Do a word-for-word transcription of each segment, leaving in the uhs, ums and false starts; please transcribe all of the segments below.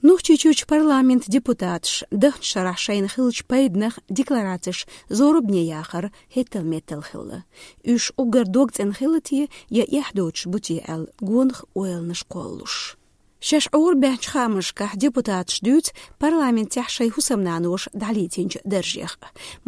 Нохчийчуьрчу парламентан депутаташ дахначу шарахь шайна хиллачу пайданах декларацеш зорбане яхар хӀеттал-меттал хилла. Уьш уггар догцӀена хилла те я эхь доцуш бу те аьлла, гонах ойланаш кхоллалуш. Шаьш Ӏорабаьхначу хаамашкахь депутаташ дуьйцу парламентехь шайн хӀусамнаноша дӀалецначу даржех.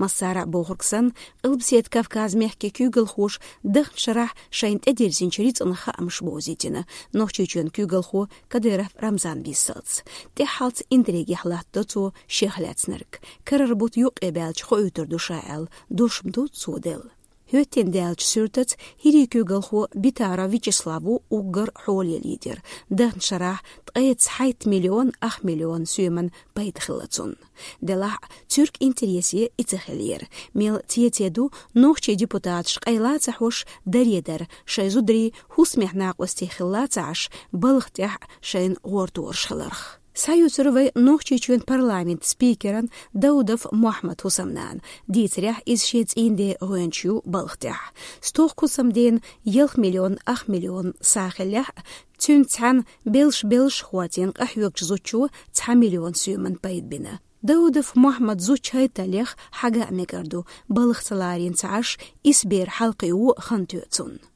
Массара а бохург санна, Къилбаседа Кавказан мехкийн куьйгалхоша дахначу шарахь шайна тӀедирзинчу рицкъанах хаамаш бовзийтина Нохчийчоьнан куьйгалхо Кадыров Рамзана виссалц. ТӀаьххьалц интригехь латтадо цо шех лаьцнарг. Карара бутт юккъе баьлча хоуьйтур ду ша аьлла, дош ма ду цо делла. ХӀоьттина даьллачу суьртаца хӀирийн куьйгалхо Битаров Вячеслав ву уггар хьоле лидер. Дахначу шарахь ткъе цхьайтта миллион ах миллион соьман пайда хилла цунна. Делахь а, цуьнан интересе и ца хиллера. Мел цецен ду нохчийн депутаташ къайла ца хьош даре дар, шайн зударий хӀусамехь накъостий хилла ца Ӏаш, балха тӀехь шайна гӀортораш хиларх. Схьаюьйцура вай Нохчийчоьнан парламентан спикеран Даудов Мохьмадан хӀусамнана. Дийцарехь, иза шен цӀийнан ден гӀоьнча ю балха тӀехь. Стохка хӀусамдена ялх миллион ах миллион сагӀа хиллехь а, цуьнца цхьаьна белш-белш хӀоттийна къахьоьгучу зудчо цхьа миллион соьман пайда бина. Даудов Мохьмадан зудчун хӀоьттинчух хьаьга а мегар ду, балха ца ларийна ца Ӏаш, исс бер хьалакхио а хан тоьу цунна.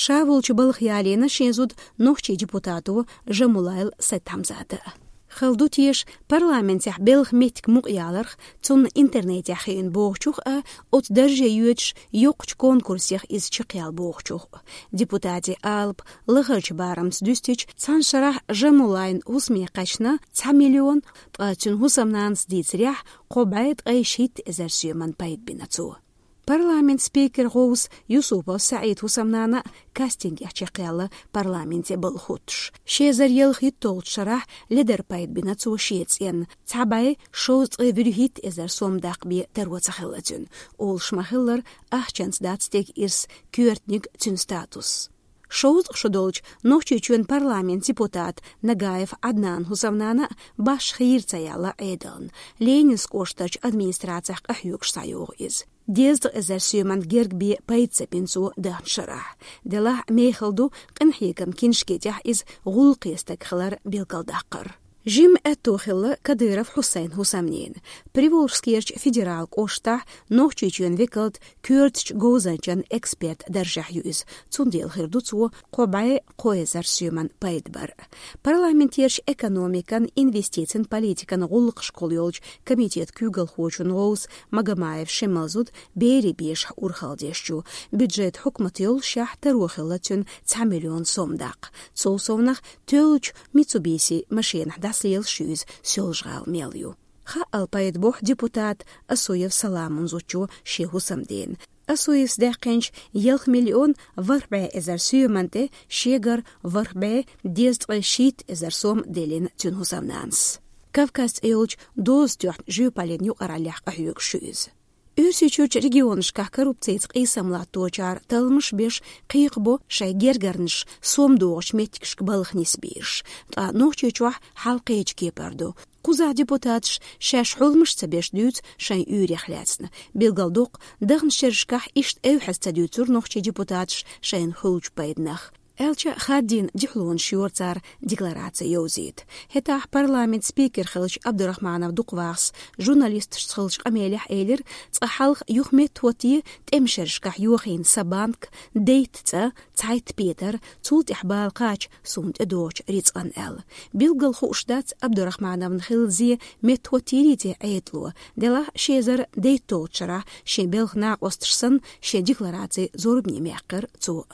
Ша волчу балха ялийна шен зуда нохчийн депутато Жамулайл Сайтхьамзата. Хала ду теша, парламентехь белхан меттиг мукъаяларх, цунна интернетехь хиъна бохучух а, оцу дарже йоьдуш йоккхачу конкурсех иза чекхъяла бохучух а. Депутатийн алапа лахарчу барамца дуьстича, цхьана шарахь Жамулайлан хӀусаме кхаьчна цхьа миллион, ткъа цуьнан хӀусамнанас дийцарехь, кхо бӀе ткъе шийтта эзар соьман пайда бина цо. Парламентан спикеран гӀовс Юсупов СаӀидан хӀусамнана а кастингехь чекхъяьлла парламенте балха хӀуттуш. Ши эзар ялхитталгӀачу шарахь ледар пайда бина цо шен цӀенна, цхьа бӀе шовзткъе вуьрхӀитта эзар сом даккха бен таро ца хилла цуьнан. Олуш ма-хиллара, ахчанца дац стеган ирс, коьртаниг цуьнан статус. Шовзткъа шо долчу Нохчийчоьнан парламентан депутата Нагаев Ӏаднанан хӀусамнана а башха хийра ца яьлла Ӏедална. Ленинскан кӀоштарчу администрацехь къахьоьгуш схьайогӀу иза. Дезткъа эзар соьман герга бен пайда ца бина цо дахначу шарахь. Делахь а, мехала ду къинхьегаман киншке тӀехь иза гӀуллакхе стаг хилар билгалдаккхар. Жимма аьтто хилла Кадыров Хьусайнан хӀусамненан. Приволжскерчу федералан кӀоштахь Нохчийчоьнан векалан коьртачу говзанчан эксперт даржехь ю иза. Цундела хир ду цо кхо бӀе кхо эзар соьман пайда бар. Парламентерчу экономикан, инвестицийн политикан гӀуллакхашкахула йолчу комитетан куьйгалхочун гӀовс Магомаев Шемал зуда берийн бешахь урхалла деш ю. Бюджет хьукмат йоллушехь таро хилла цуьнан цхьа миллион сом даккха. Цул совнаха, тоьллачу Митсубиси машенахь дӀасалелаш ю иза, Соьлжа-ГӀала мел ю. Хаал пайда бохьу депутата Асуев Саламан зудчо шен хӀусамдена. Асуевс даьккхинчу ялх миллион ворхӀ бӀе эзар соьман тӀе шегара ворхӀ бӀе дезткъе шийтта эзар сом деллина цуьнан хӀусамнанас. Кавказ цӀе йолчу доза тоьхна жоьпаллин юкъараллехь къахьоьгуш ю иза. Оьрсийчуьрчу регионашкахь коррупцица къийсам латточара талламаш беш кхайкхабо шайн гергарнаш сом догӀучу меттигашка балха нисбийраш, ткъа Нохчийчохь хьал кхечу кепара ду. Кхузахь депутаташ шаьш хьулмаш ца беш дуьйцу шайн уьйрех лаьцна. Билгалдоккху, дахначу шерашкахь иштта эвхьаза ца дуьйцура нохчийн депутаташа шайна хуьлучу пайданах. Аьлча, хаддийна дуьхьалонаш йора цара деклараци йовзийта. ХӀетахь парламентан спикер хиллачу Абдурахманов Дукхвахас журналисташца хиллачу къамелехь элира, цкъа хьалха юха меттахӀотте тӀеман шерашкахь йохийна сан банк, дейтта цӀа, цхьайтта петар, цул тӀаьхьа бала кхача суна тӀедогӀучу рицкъан аьлла. Билггал хууш дац Абдурахмановна хилла зен меттахӀоттийрий те Ӏедало. Делахь а, ши эзар дейтталгӀачу шарахь шен белхан накъосташ санна, шен деклараци зорбане мехкара цо.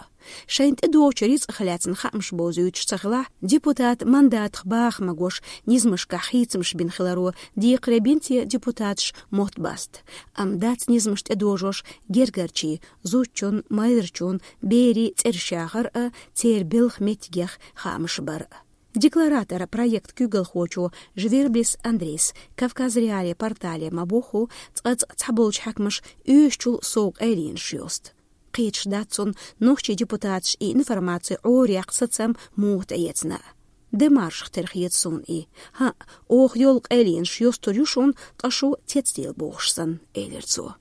Шайна тӀедогӀучу рицкъах лаьцна хаамаш бовзуьйтуш ца хилахь, депутатан мандатах баха магош, низамашкахь хийцамаш бина хиларо декхаре бина те депутаташа мотт баста. Амма дац низамаш тӀедожош гергарчийн, зудчун, майрачун, берийн цӀераш яхар а, церан белхан меттигех хаамаш бар а. Декларатор проектан куьйгалхочо Жверблис Андрейс Кавказ.Реалии портале ма-бохху, цкъа-цкъа цхьаболчу хьаькамаша оьшучул сов къайленаш йосту. Кхеташ дац цунна, нохчийн депутаташа и информаци Ӏораяьккха сацам муха тӀеэцна. Де маршах тера хета суна и. ХӀаъ, оха йолу къайленаш йостур ю шуна, ткъа шу цецдела бохуш санна, элира цо.